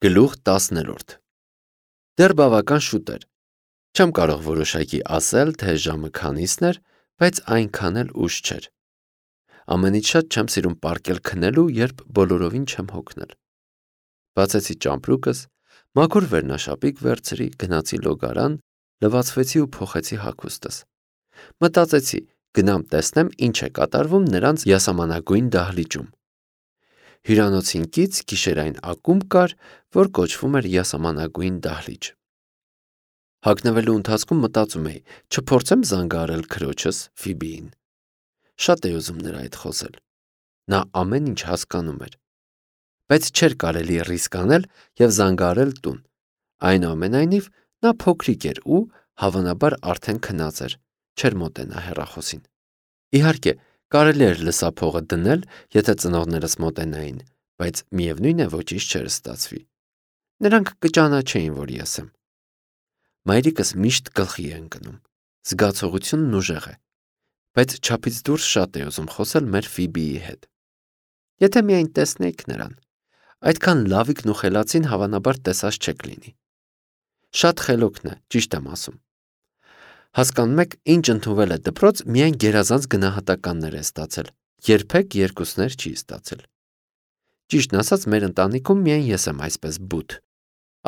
Գլուխ 10-րդ Դեռ բավական շուտ էր, չեմ կարող որոշակի ասել, թե ժամը քանիսն էր, բայց այնքան էլ ուշ չէր, ամենից շատ չեմ սիրում պառկել քնելու, երբ բոլորովին չեմ հոգնել, բացեցի ճամպրուկս, մաքուր վերնաշապիկ վերցրի, գնացի լոգարան, լվացվեցի ու փոխեցի հագուստս, մտածեցի, գնամ տեսնեմ ինչ է կատարվում նրանց յասամանագույն դահլիճում, հյուրանոցին կից գիշերային ակումբ կար, որ կոչվում էր յասամանագույն դահլիճ, հագնվելու ընթացքում մտածում էի, չփորձեմ զանգահարել քրոջս Ֆիբիին, շատ էի ուզում նրա հետ խոսել, նա ամեն ինչ հասկանում էր, բայց չէր կարելի ռիսկ անել և զանգահարել տուն, այնուամենայնիվ նա փոքրիկ էր ու հավանաբար արդեն քնած էր, չէր մոտենա հեռախոսին, իհարկե կարելի էր լսափողը դնել, եթե ծնողներս մոտենային, բայց միևնույն է ոչինչ չէր ստացվի, նրանք կճանաչեին, որ ես եմ, մայրիկս միշտ գլխի է ընկնում, զգացողությունն ուժեղ է, բայց չափից դուրս շատ է ուզում խոսել մեր Ֆիբիի հետ, եթե միայն տեսնեիք նրան, այդքան լավիկն ու խելացին հավանաբար տեսած չեք լինի, շատ խելոքն է, ճիշտ եմ ասում, հասկանում եք, ինչ ընդունվել է դպրոց, միայն գերազանց գնահատականներ է ստացել, երբեք երկուսներ չի ստացել, ճիշտն ասած մեր ընտանիքում միայն ես եմ այսպես բութ,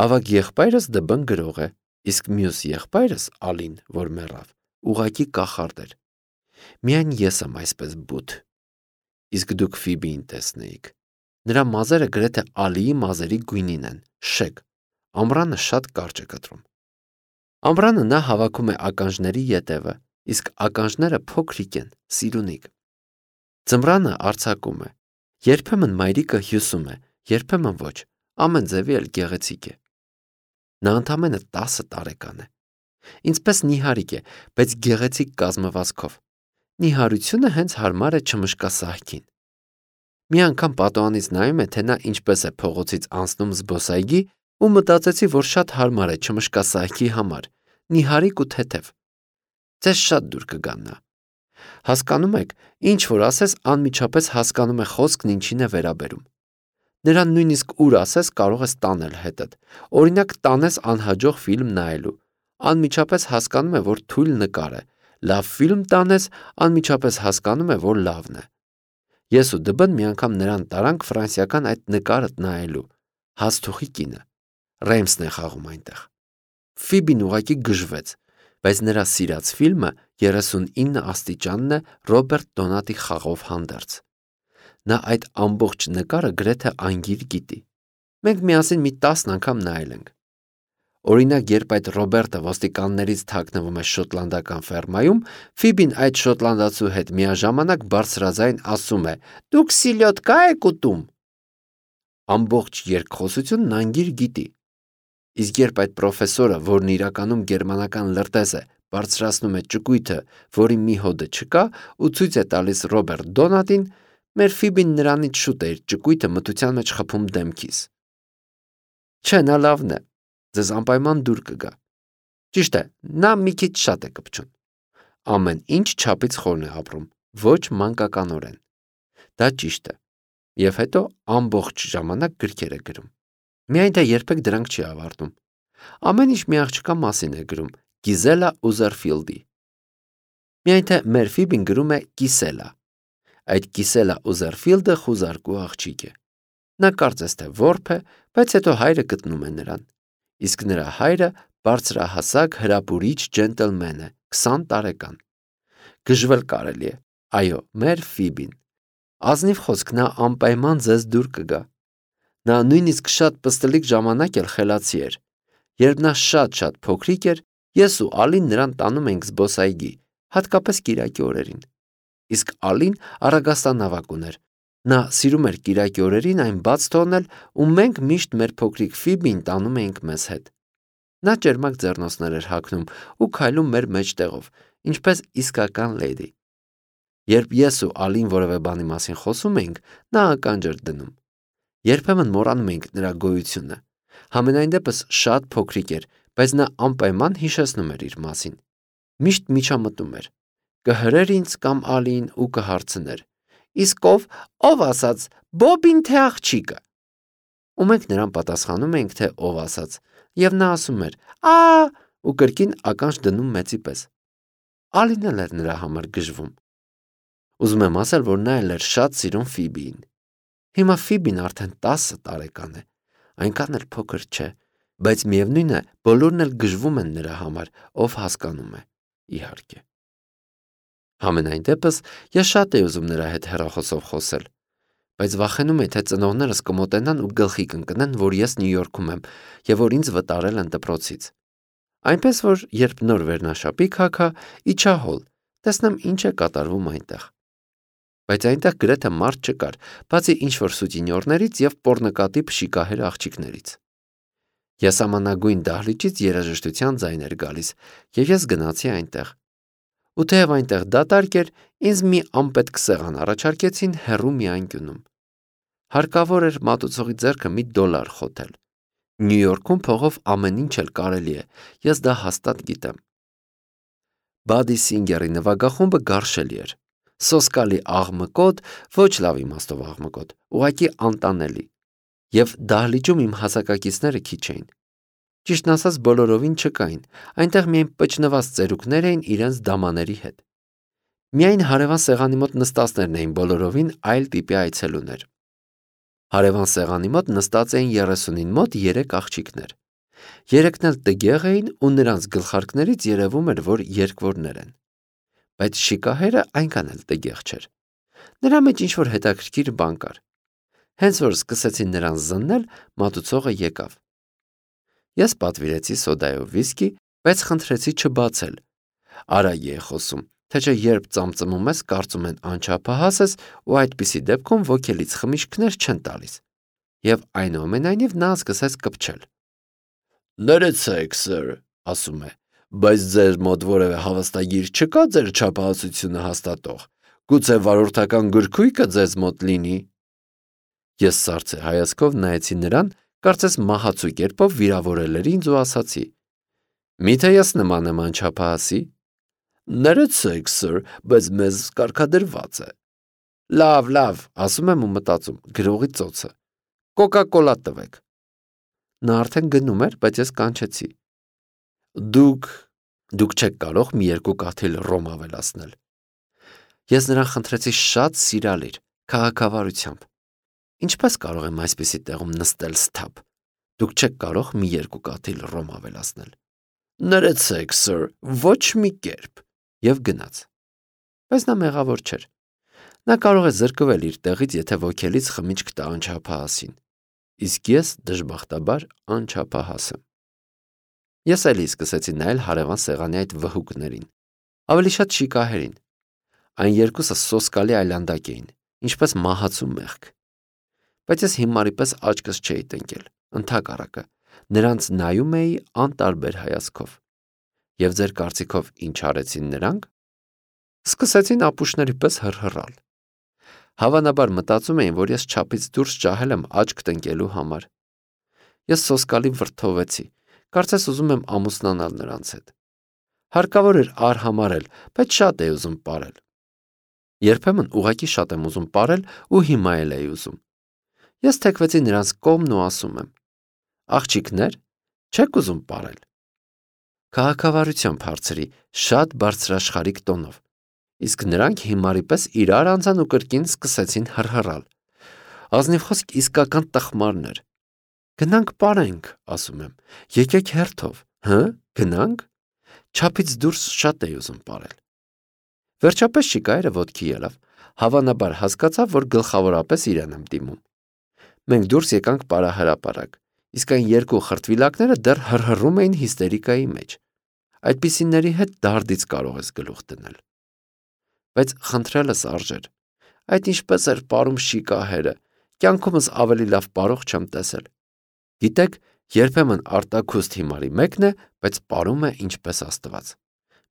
ավագ եղբայրս ԴԲ գրող է, իսկ մյուս եղբայրս Ալին, որ մեռավ, ուղղակի կախարդ էր, միայն ես եմ այսպես բութ, իսկ դուք Ֆիբիին տեսնեիք, նրա մազերը գրեթե Ալիի մազերի գույնին են, շեկ, ամռանը շատ կարճ է կտրում, ամռանը նա հավաքում է ականջների ետևը, իսկ ականջները փոքրիկ են, սիրունիկ, ձմռանը արձակում է, երբեմն մայրիկը հյուսում է, երբեմն ոչ, ամեն ձևի էլ գեղեցիկ է, նա ընդամենը 10 տարեկան է, ինձպես նիհարիկ է, բայց գեղեցիկ կազմվածքով, նիհարությունը հենց հարմար է չմշկասահքին, մի անգամ պատուհանից նայում է, թե նա ինչպես է փողոցից անցնում զբոսայգի ու մտածեցի, որ շատ հարմար է չմշկասահքի համար, նիհարիկ ու թեթև, ձեզ շատ դուր կգան նա, հասկանում եք, ինչ որ ասես անմիջապես հասկանում է խոսքն ինչին է վերաբերում, նրան նույնիսկ ուր ասես կարող ես տանել հետդ, օրինակ տանես անհաջող ֆիլմ նայելու, անմիջապես հասկանում է, որ թույլ նկար է, լավ ֆիլմ տանես, անմիջապես հասկանում է, որ լավն է, ես ու ԴԲ-ն մի անգամ նրան տարանք ֆրանսիական այդ նկարը նայելու, Հացթուխի կինը, Ռեյմսն է խաղում այնտեղ, Ֆիբին ուղղակի գժվեց, բայց նրա սիրած ֆիլմը 39 աստիճանն է Ռոբերտ Դոնատի խաղով հանդերձ, նա այդ ամբողջ նկարը գրեթե անգիր գիտի, մենք միասին մի 10 անգամ նայել ենք, օրինակ երբ այդ Ռոբերտը ոստիկաններից թաքնվում է շոտլանդական ֆերմայում, Ֆիբին այդ շոտլանդացու հետ միաժամանակ բարձրաձայն ասում է, դուք սիլյոտկա եք ուտում, ամբողջ երկխոսությունն անգիր գիտի, իսկ երբ այդ պրոֆեսորը, որն իրականում գերմանական լրտես է, բարձրացնում է ճկույթը, որի մի հոդը չկա ու ցույց է տալիս Ռոբերտ Դոնատին, մեր Ֆիբին նրանից շուտ է իր ճկույթը մթության մեջ խփում դեմքիս, չէ, նա լավն է, ձեզ անպայման դուր կգա, ճիշտ է, նա մի քիչ շատ է կպչուն, ամեն ինչ չափից խորն է ապրում, ոչ մանկականորեն, դա ճիշտ է, և հետո ամբողջ ժամանակ գրքեր է գրում, միայն թե երբեք դրանք չի ավարտում, ամեն ինչ մի աղջկա մասին է գրում, Գիզելա Ուզերֆիլդի, միայն թե մեր Ֆիբին գրում է Կիսելա, այդ Կիսելա Ուզերֆիլդը խուզարկու աղջիկ է, նա կարծես թե որբ է, բայց հետո հայրը գտնում է նրան, իսկ նրա հայրը բարձրահասակ հրապուրիչ ջենտլմեն է, 20 տարեկան, գժվել կարելի է, այո, մեր Ֆիբին, ազնիվ խոսք նա անպայման ձեզ դուր կգա, նա նույնիսկ շատ պստլիկ ժամանակ էլ խելացի էր, երբ նա շատ փոքրիկ էր, ես ու Ալին նրան տանում էինք զբոսայգի, հատկապես կիրակի օրերին, իսկ Ալին առագաստանավակ ուներ, նա սիրում էր կիրակի օրերին այն բաց թողնել ու մենք միշտ մեր փոքրիկ Ֆիբին տանում էինք մեզ հետ, նա ճերմակ ձեռնոցներ էր հագնում ու քայլում մեր մեջտեղով, ինչպես իսկական լեդի, երբ ես ու Ալին որևէ բանի մասին խոսում էինք, նա ականջ էր դնում, երբեմն մոռանում էինք նրա գոյությունը, համենայն դեպս շատ փոքրիկ էր, բայց նա անպայման հիշեցնում էր իր մասին, միշտ միջամտում էր, կհրեր ինձ կամ Ալիին ու կհարցներ, իսկ ով ասաց, Բոբին թե աղջիկը, ու մենք նրան պատասխանում էինք, թե ով ասաց, եւ նա ասում էր. «Ա» ու կրկին ականջ դնում մեծի պես։ Ալին էլ էր նրա համար գժվում։ Ուզում եմ ասել, որ նա էլ էր շատ սիրում Ֆիբիին։ Հիմա Ֆիբին արդեն 10 տարեկան է, այնքան էլ փոքր չէ, բայց միևնույն է, բոլորն էլ գժվում են նրա համար, ով հասկանում է, իհարկե։ Համենայն դեպս, ես շատ էի ուզում նրա հետ հեռախոսով խոսել, բայց վախենում էի, թե ծնողներս կմոտենան ու գլխի կընկնեն, որ ես Նյու Յորքում եմ եւ որ ինձ վտարել են դպրոցից։ Այնպես որ, երբ նոր վերնաշապի քաքա, իջա հոլ, տեսնեմ ինչ է կատարվում այնտեղ։ Բայց այնտեղ գրեթե մարդ չկար, բացի ինչ-որ սուտինյորներից եւ պոռնկատիպ շիկահեր աղջիկներից։ Եսամանագույն դահլիճից երաժշտության ձայն էր գալիս, եւ ես գնացի այնտեղ։ Ու թեև այնտեղ դատարկ էր, ինձ մի անպետք սեղան առաջարկեցին հեռու մի անկյունում։ Հարկավոր էր մատուցողի ձեռքը $1 խոթել։ Նյու Յորքում փողով ամեն ինչ էլ կարելի է, ես դա հաստատ գիտեմ։ Բադի Սինգերի նվագախումբը գարշելի էր։ Սոսկալի աղմկոտ, ոչ լավ իմաստով աղմկոտ, ուղղակի անտանելի։ Եվ դահլիճում իմ հասակակիցները քիչ էին։ Ճիշտն ասած, բոլորովին չկային, այնտեղ միայն պճնված ծերուկներ էին իրենց դամաների հետ։ Միայն հարևան սեղանի մոտ նստածներն էին բոլորովին այլ տիպի այցելուներ։ Հարևան սեղանի մոտ նստած էին 30-ին մոտ 3 աղջիկներ։ 3-ն էլ տգեղ էին ու նրանց գլխարկներից երևում էր, որ երկվորներ են։ Բայց շիկահերը այնքան էլ տգեղ չէր։ Նրա մեջ ինչ-որ հետաքրքիր բան կար։ Հենց որ սկսեցին նրան զննել, մատուցողը եկավ։ Ես պատվիրեցի սոդայով վիսկի, բայց խնդրեցի չբացել։ Արագ է խոսում, թե չէ երբ ծամծմում ես, կարծում են անչափահաս ես ու այդպիսի դեպքում ոգելից խմիչքներ չեն տալիս։ Եվ այնուամենայնիվ նա սկսեց կպչել։ Ներեցեք, սըր, ասում է, բայց ձեր մոտ որևէ հավաստագիր չկա ձեր չափահասությունը հաստատող։ Գուցե վարորդական գրքույկը ձեզ մոտ լինի։ Ես սառցե հայացքով նայեցի նրան, կարծես մահացու կերպով վիրավորել էր ինձ ու ասացի. Միթե ես նման եմ անչափահասի։ Ներեցեք, սըր, բայց մեզ կարգադրված է։ Լավ, ասում եմ ու մտածում, գրողի ծոցը։ Կոկա-կոլա տվեք։ Նա արդեն գնում էր, բայց ես կանչեցի։ Դուք չեք կարող մի 2 կաթիլ ռոմ ավելացնել։ Ես նրան խնդրեցի շատ սիրալիր, քաղաքավարությամբ։ Ինչպես կարող եմ այսպիսի տեղում նստել սթափ։ Դուք չեք կարող մի 2 կաթիլ ռոմ ավելացնել։ Ներեցեք, սըր, ոչ մի կերպ։ Եվ գնաց։ Բայց նա մեղավոր չէր։ Նա կարող է զրկվել իր տեղից, եթե ոգելից խմիչք տա անչափահասին։ Իսկ ես դժբախտաբար անչափահաս եմ։ Ես էլի սկսեցի նայել հարևան սեղանի այդ վհուկներին, ավելի շատ շիկահերին։ Այն երկուսը սոսկալի այլանդակ էին, ինչպես մահացու մեղք։ Բայց ես հիմարի պես աչքս չէի տնկել, ընդհակառակը, նրանց նայում էի անտարբեր հայացքով։ Եվ ձեր կարծիքով ինչ արեցին նրանք։ Սկսեցին ապուշների պես հռհռալ։ Հավանաբար մտածում էին, որ ես չափից դուրս ջահել եմ աչք տնկելու համար։ Ես սոսկալի վրդովեցի, կարծես ուզում եմ ամուսնանալ նրանց հետ։ Հարկավոր էր արհամարել, բայց շատ էի ուզում պարել։ Երբեմն ուղղակի շատ եմ ուզում պարել ու հիմա էլ էի ուզում։ Ես թեքվեցի նրանց կողմն ու ասում եմ. Աղջիկներ, չեք ուզում պարել։ Քաղաքավարությամբ հարցրի, շատ բարձրաշխարհիկ տոնով։ Իսկ նրանք հիմարի պես իրար անցան ու կրկին սկսեցին հռհռալ։ Ազնիվ խոսք իսկական տխմարներ։ Գնանք պարենք, ասում եմ։ Եկեք հերթով, գնանք։ Չափից դուրս շատ էի ուզում պարել։ Վերջապես շիկայրը ոտքի ելավ, հավանաբար հասկացավ, որ գլխավորապես իրեն եմ դիմում։ Մենք դուրս եկանք պարահրապարակ, իսկ այն 2 խրտվիլակները դեռ հռհռում էին հիստերիկայի մեջ։ Այդպիսիների հետ դարդից կարող ես գլուխ դնել։ Բայց խնդրելս արժեր։ Այդ ինչպես էր պարում շիկահերը, կյանքումս ավելի լավ պարող չեմ տեսել։ Գիտեք, երբեմն արտաքուստ հիմարի մեկն է, բայց պարում է ինչպես Աստված։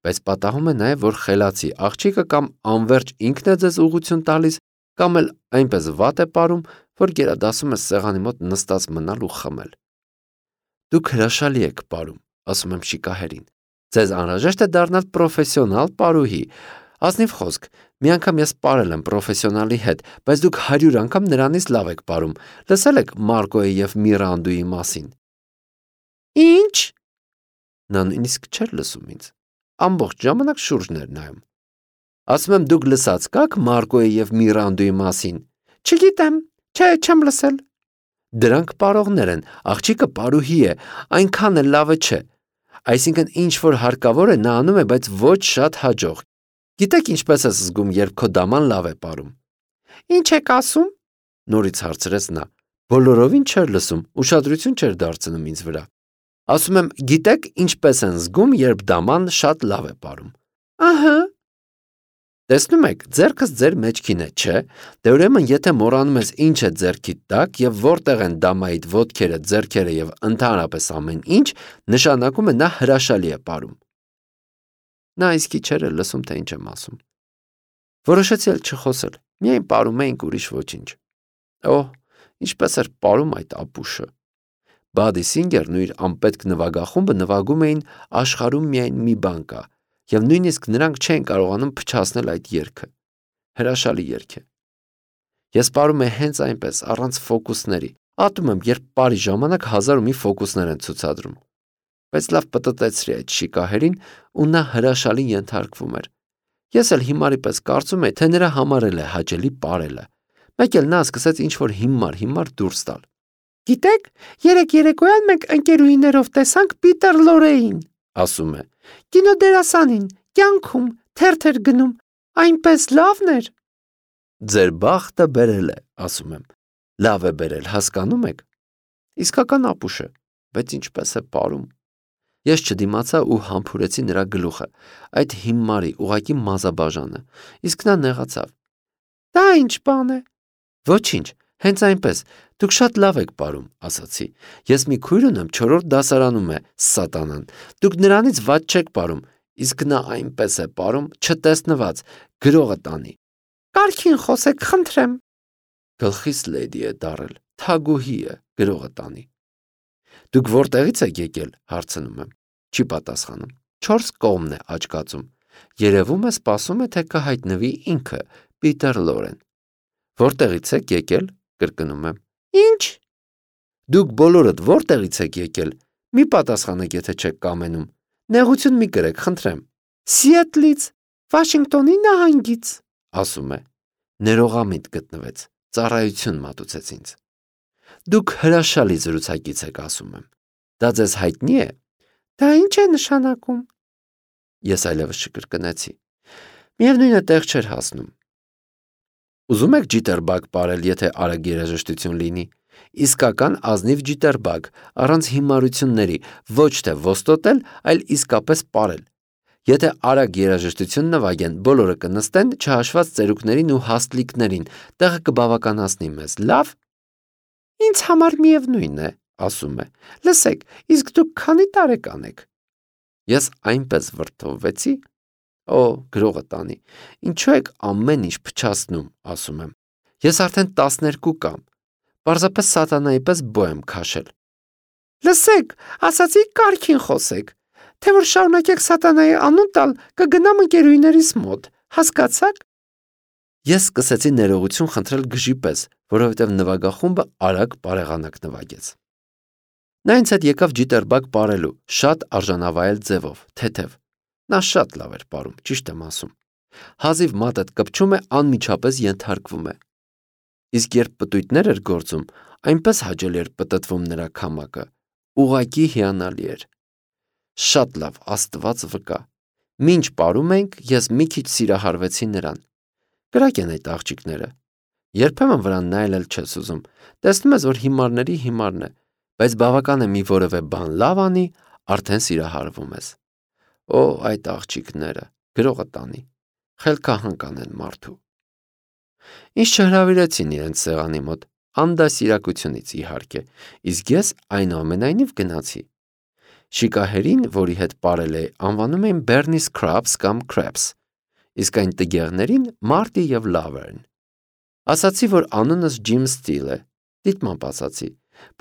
Բայց պատահում է նաև, որ խելացի աղջիկը կամ անverջ ինքն է ձեզ ուղղություն տալիս, կամ էլ այնպես վատ է պարում, որ գերադասում է սեղանի մոտ նստած մնալ ու խմել։ Դուք հրաշալի եք պարում, ասում եմ շիկահերին։ Ձեզ անհրաժեշտ է դառնալ պրոֆեսիոնալ պարուհի։ Ազնիվ խոսք, Մի անգամ ես պարել եմ պրոֆեսիոնալի հետ, բայց դուք 100 անգամ նրանից լավ եք պարում։ Լսել եք Մարկոյի և Միրանդուի մասին։ Ինչ։ Նա նույնիսկ չէր լսում ինձ։ Ամբողջ ժամանակ շուրջն էր նայում։ Ասում եմ, դուք լսած կաք Մարկոյի և Միրանդուի մասին։ Չգիտեմ, չէ, չեմ լսել։ Դրանք պարողներ են, աղջիկը պարուհի է, այնքան էլ լավը չէ։ Այսինքն ինչ որ հարկավոր է նա անում է, բայց ոչ շատ հաջող։ Գիտեք ինչպես ես զգում, երբ քո դաման լավ է պարում։ Ինչ եք ասում։ Նորից հարցրեց նա։ Բոլորովին չէր լսում, ուշադրություն չէր դարձնում ինձ վրա։ Ասում եմ, գիտեք ինչպես են զգում, երբ դաման շատ լավ է պարում։ Ահա։ Տեսնում եք, ձեռքս ձեր մեջքին է, չէ՞։ Դե ուրեմն, եթե մոռանում ես ինչ է ձեռքիդ տակ եւ որտեղ են դամայիդ ոտքերը, ձեռքերը եւ ընդհանրապես ամեն ինչ, նշանակում է նա հրաշալի է պարում։ Նա իսկի չէր լսում, թե ինչ եմ ասում։ Որոշեցի չխոսել, միայն պարում էինք, ուրիշ ոչինչ։ Օհ, ինչպես էր պարում այդ ապուշը։ Բադի Սինգերն ու իր անպետք նվագախումբը նվագում էին աշխարհում միայն մի բան կա, եւ նույնիսկ նրանք չեն կարողանում փչացնել այդ երգը։ Հրաշալի երգ է։ Ես պարում եմ հենց այնպես, առանց ֆոկուսների։ Ատում եմ, երբ պարի ժամանակ 1001 ֆոկուսներ են ցուցադրում։ Բայց լավ պտտեցրի այդ շիկահերին ու նա հրաշալի ենթարկվում էր։ Ես էլ հիմարի պես կարծում եի, թե նրա համար էլ է հաճելի պարելը։ Մեկ էլ նա սկսեց ինչ-որ հիմար դուրս տալ։ Գիտեք, երեք երեկոյան մենք ընկերուհիներով տեսանք Պիտեր Լորեին, ասում է։ Կինոդերասանին, կյանքում, թերթեր գնում, այնպես լավն էր։ Ձեր բախտը բերել է, ասում եմ։ Լավ է բերել, հասկանում եք։ Իսկական ապուշ է, բայց ինչպես է պարում։ Ես չդիմացա ու համբուրեցի նրա գլուխը, այդ հիմարի ուղակի մազաբաժանը, իսկ նա նեղացավ։ Դա ինչ բան է։ Ոչինչ, հենց այնպես, դուք շատ լավ եք պարում, ասացի։ Ես մի քույր ունեմ 4-րդ դասարանում է, սատանան։ Դուք նրանից վատ չեք պարում, իսկ նա այնպես է պարում, չտեսնված, գրողը տանի։ Կարգին խոսեք, խնդրեմ։ Գլխիս լեդի է դարել, թագուհի է, գրողը տանի։ Դուք որտեղից եք եկել, հարցնում եմ։ Չի պատասխանում։ 4 կողմն է աչքածում։ Երևում է սպասում է, թե կհայտնվի ինքը, Պիտեր Լորեն։ Որտեղից եք եկել, կրկնում եմ։ Ինչ։ Դուք բոլորդ որտեղից եք եկել։ Մի պատասխանեք, եթե չեք կամենում։ Նեղություն մի կրեք, խնդրեմ։ Սիեթլից, Վաշինգտոնի նահանգից, ասում է։ Ներողամիտ գտնվեց, ծառայություն մատուցեց ինձ։ Դուք հրաշալի զրուցակից եք, ասում եմ։ Դա ձեզ հայտնի է։ Դա ինչ է նշանակում։ Ես այլևս չկրկնեցի։ Միևնույնը տեղ չէր հասնում։ Ուզում եք ջիտերբագ պարել, եթե արագ երաժշտություն լինի։ Իսկական ազնիվ ջիտերբագ, առանց հիմարությունների, ոչ թե ոստոտել, այլ իսկապես պարել։ Եթե արագ երաժշտություն նվագեն, բոլորը կնստեն, չհաշված ծերուկներին ու հաստլիկներին, տեղը կբավականացնի մեզ, լավ։ Ինձ համար միևնույն է, ասում է։ Լսեք, իսկ դուք քանի տարեկան եք։ Ես այնպես վրդովվեցի։ Օ, գրողը տանի։ Ինչու եք ամեն ինչ փչացնում, ասում եմ։ Ես արդեն 12 կամ։ Պարզապես սատանայի պես բո եմ քաշել։ Լսեք, ասացի կարգին խոսեք։ Թե որ շարունակեք սատանայի անուն տալ, կգնամ ընկերուհիներիս մոտ, հասկացաք։ Ես սկսեցի ներողություն խնդրել գժի պես, որովհետև նվագախումբը արագ բարեղանակ նվագեց։ Նա ինձ հետ եկավ ջիտերբագ պարելու, շատ արժանավայել ձևով, թեթև։ Նա շատ լավ էր պարում, ճիշտ եմ ասում։ Հազիվ մատդ կպչում է, անմիջապես ենթարկվում է։ Իսկ երբ պտույտներ էր գործում, այնպես հաճելի էր պտտվում նրա քամակը, ուղղակի հիանալի էր։ Շատ լավ, Աստված վկա։ Մինչ պարում ենք, ես մի քիչ սիրահարվեցի նրան։ Կրակ են այդ աղջիկները։ Երբեմն վրան նայել էլ չես ուզում։ Տեսնում ես, որ հիմարների հիմարն է, բայց բավական է մի որևէ բան լավ անի, արդեն սիրահարվում ես։ Օ, այդ աղջիկները, գրողը տանի, խելքահանք անեն մարդու։ Ինչ չհրավիրեցին իրենց սեղանի մոտ, անդասիրակությունից իհարկե, իսկ ես այնուամենայնիվ գնացի։ Շիկահերին, որի հետ պարել էի, անվանում էին Bernie Scrubs կամ Crabs, իսկ այն տգեղներին Marty և Laverne։ Ասացի, որ անունս Jim Steele է, դիտմամբ ասացի։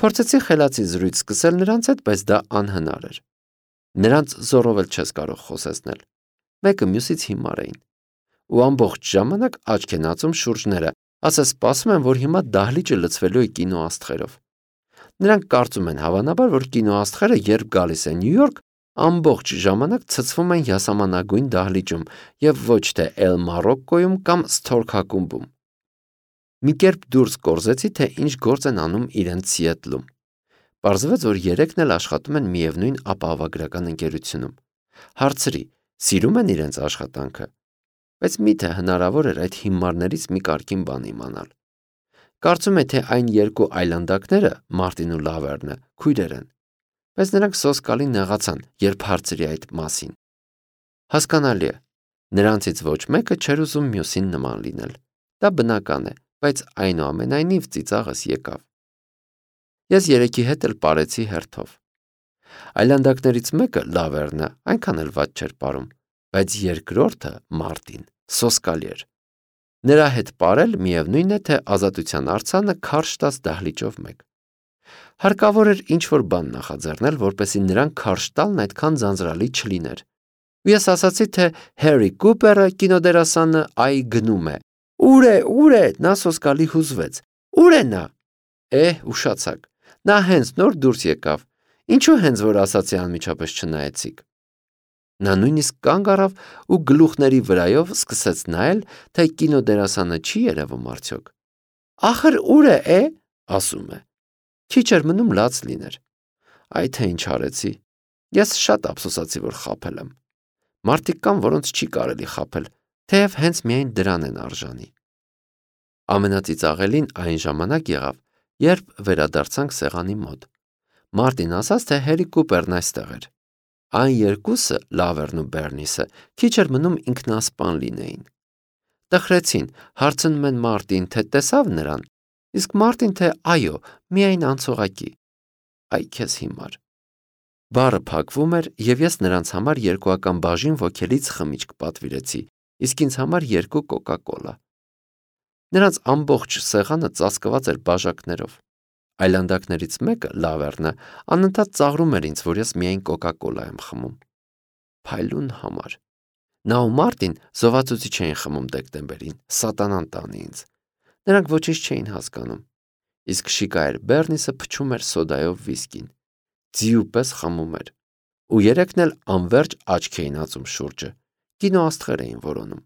Փորձեցի խելացի զրույց սկսել նրանց հետ, բայց դա անհնար էր։ Նրանց զորով էլ չես կարող խոսեցնել։ Մեկը մյուսից հիմար էին։ ու ամբողջ ժամանակ աչք են ածում շուրջները, ասես սպասում են, որ հիմա դահլիճը լցվելու է կինոաստղերով։ Նրանք կարծում են հավանաբար, որ կինոաստղերը, երբ գալիս են Նյու Յորք, ամբողջ ժամանակ ցցվում են յասամանագույն դահլիճում և ոչ թե Էլ Մարոկկոյում կամ Սթորք ակումբում։ Մի կերպ դուրս կորզեցի, թե ինչ գործ են անում իրենց Սիեթլում։ Պարզվեց, որ երեքն էլ աշխատում են միևնույն ապահովագրական ընկերությունում։ Հարցրի, սիրում են իրենց աշխատանքը, բայց միթե հնարավոր էր այդ հիմարներից մի կարգին բան իմանալ։ Կարծում է, թե այն երկու այլանդակները, Մարտին ու Լավերնը, քույրեր են, բայց նրանք սոսկալի նեղացան, երբ հարցրի այդ մասին։ Հասկանալի է, նրանցից ոչ մեկը չէր ուզում մյուսին նման լինել։ Դա բնական է, բայց այնուամենայնիվ ծիծաղս եկավ։ Ես երեքի հետ էլ պարեցի հերթով։ Այլանդակներից մեկը, Լավերնը, այնքան էլ վատ չէր պարում, բայց երկրորդը, Մարտին, սոսկալի էր։ Նրա հետ պարել միևնույն է, թե ազատության արձանը քարշ տաս դահլիճով մեկ։ Հարկավոր էր ինչ-որ բան նախաձեռնել, որպեսզի նրան քարշ տալն այդքան ձանձրալի չլիներ։ Ու ես ասացի, թե Հերի Կուպերը, կինոդերասանը, գնում է։ Ուր է, նա սոսկալի հուզվեց։ Ուր է նա։ Ուշացաք, նա հենց նոր դուրս եկավ։ Ինչու հենց որ ասացի անմիջապես չնայեցիք։ Նա նույնիսկ կանգ առավ ու գլուխների վրայով սկսեց նայել, թե կինոդերասանը չի երևում արդյոք։ Ախր ուր է, ասում է։ Քիչ էր մնում լաց լիներ։ Այ թե ինչ արեցի։ Ես շատ ափսոսացի, որ խաբել եմ։ Մարդիկ կան, որոնց չի կարելի խաբել, թեև հենց միայն դրան են արժանի։ Ամենածիծաղելին այն ժամանակ եղավ, երբ վերադարձանք սեղանի մոտ։ Մարտին ասաց, թե Հերի Կուպերն այստեղ էր։ Այն երկուսը, Լավերն ու Բերնիսը, քիչ էր մնում ինքնասպան լինեին։ Տխրեցին, հարցնում են Մարտին, թե տեսավ նրան, իսկ Մարտին, թե այո, միայն անցողակի։ Այ քեզ հիմար։ Բարը փակվում էր, և ես նրանց համար երկուական բաժին ոգելից խմիչք պատվիրեցի, իսկ ինձ համար 2 կոկա-կոլա։ Նրանց ամբողջ սեղանը ծածկված էր բաժակներով։ Այլանդակներից մեկը, Լավերնը, անընդհատ ծաղրում էր ինձ, որ ես միայն կոկա-կոլա եմ խմում։ Փայլուն համար։ Նա ու Մարտին զովացուցիչ էին խմում դեկտեմբերին, սատանան տանի ինձ։ Նրանք ոչինչ չէին հասկանում։ Իսկ շիկա էր Բերնիսը փչում էր սոդայով վիսկին։ Ձիու պես խմում էր։ Ու երեքն էլ անվերջ աչք էին ածում շուրջը։ Կինոաստղեր էին որոնում։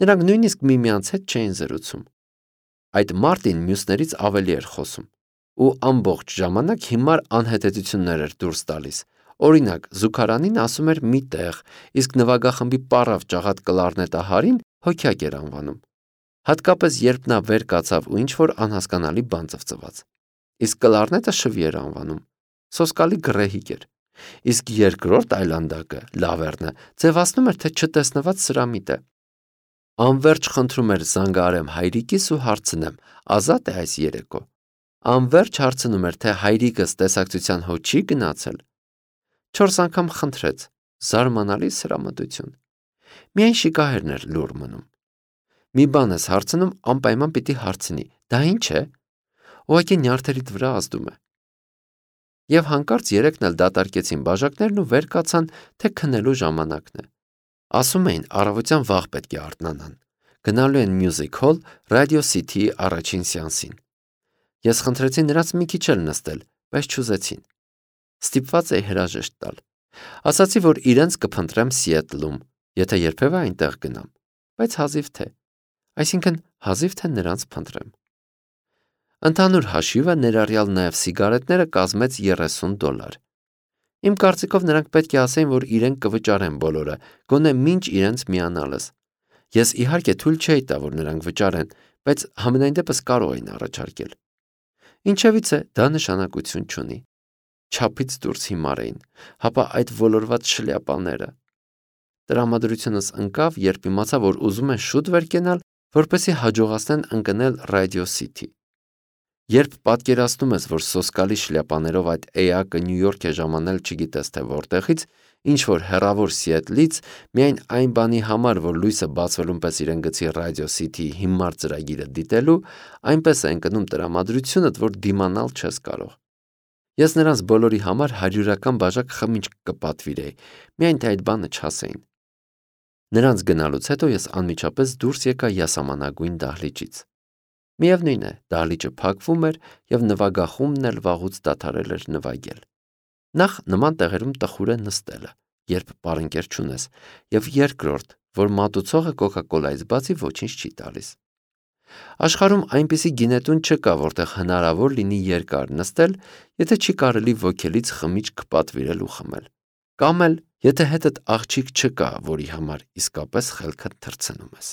Նրանք նույնիսկ միմյանց հետ չէին զրուցում։ Այդ Մարտին մյուսներից ավելի էր խոսում ու ամբողջ ժամանակ հիմար անհետեցություններ էր դուրս տալիս։ Օրինակ, զուգարանին ասում էր մի տեղ, իսկ նվագախմբի պառավ ճաղատ կլարնետահարին հոգյակ էր անվանում։ Հատկապես երբ նա վեր կացավ ու ինչ-որ անհասկանալի բան ծվծված։ Իսկ կլարնետը շվի էր անվանում։ Սոսկալի գռեհիկ էր։ Իսկ երկրորդ այլանդակը, Լավերնը, ձևացնում էր, թե չտեսնված սրամիտ է։ Անվերջ խնդրում էր զանգահարեմ հայրիկիս ու հարցնեմ, ազատ է այս երեկո։ Անվերջ հարցնում էր, թե հայրիկս տեսակցության հո չի գնացել։ 4 անգամ խնդրեց, զարմանալի սրամտություն։ Միայն շիկահերն էր լուռ մնում։ Մի բան ես հարցնում, անպայման պիտի հարցնի, դա ինչ է։ Ուղղակի նյարդերիդ վրա ազդում է։ Եվ հանկարծ երեքն էլ դատարկեցին բաժակներն ու վեր կացան, թե քնելու ժամանակն է։ Ասում էին, առավոտյան վաղ պետք է արթնանան։ Գնալու են Music Hall Radio City-ի առաջին սեանսին։ Ես խնդրեցի նրանց մի քիչ էլ նստել, բայց չուզեցին։ Ստիպված էի հրաժեշտ տալ։ Ասացի, որ իրենց կփնտրեմ Սիեթլում, եթե երբևէ այնտեղ գնամ, բայց հազիվ թե։ Այսինքն հազիվ թե նրանց փնտրեմ։ Ընդհանուր հաշիվը ներառյալ նաև սիգարետները կազմեց $30։ Իմ կարծիքով նրանք պետք է ասեին, որ իրենք կվճարեն բոլորը, գոնե մինչ իրենց միանալս։ Ես իհարկե թույլ չէի տա, որ նրանք վճարեն, բայց համենայն դեպս կարող էին առաջարկել։ Ինչևիցե դա նշանակություն չունի։ Չափից դուրս հիմար էին, հապա այդ ոլորված շլյապաները։ Տրամադրությունս ընկավ, երբ իմացա, որ ուզում են շուտ վեր կենալ, որպեսզի հաջողացնեն ընկնել Radio City։ Երբ պատկերացնում ես, որ սոսկալի շլյապաներով այդ էակը Նյու Յորք է ժամանել չգիտես թե որտեղից, ինչ-որ հեռավոր Սիեթլից, միայն այն բանի համար, որ լույսը բացվելուն պես իրեն գցի Radio City-ի հիմար ծրագիրը դիտելու, այնպես է ընկնում տրամադրությունդ, որ դիմանալ չես կարող։ Ես նրանց բոլորի համար 100-ական բաժակ խմիչք կպատվիրեի, միայն թե այդ բանը չասեին։ Նրանց գնալուց հետո ես անմիջապես դուրս եկա յասամանագույն դահլիճից։ Միևնույն է, դահլիճը փակվում էր և նվագախումբն էլ վաղուց դադարել էր նվագել։ Նախ նման տեղերում տխուր է նստելը, երբ պարընկեր չունես, և երկրորդ, որ մատուցողը կոկա-կոլայից բացի ոչինչ չի տալիս։ Աշխարհում այնպիսի գինետուն չկա, որտեղ հնարավոր լինի երկար նստել, եթե չի կարելի ոգելից խմիչք պատվիրել ու խմել, կամ էլ եթե հետդ աղջիկ չկա, որի համար իսկապես խելքդ թռցնում ես։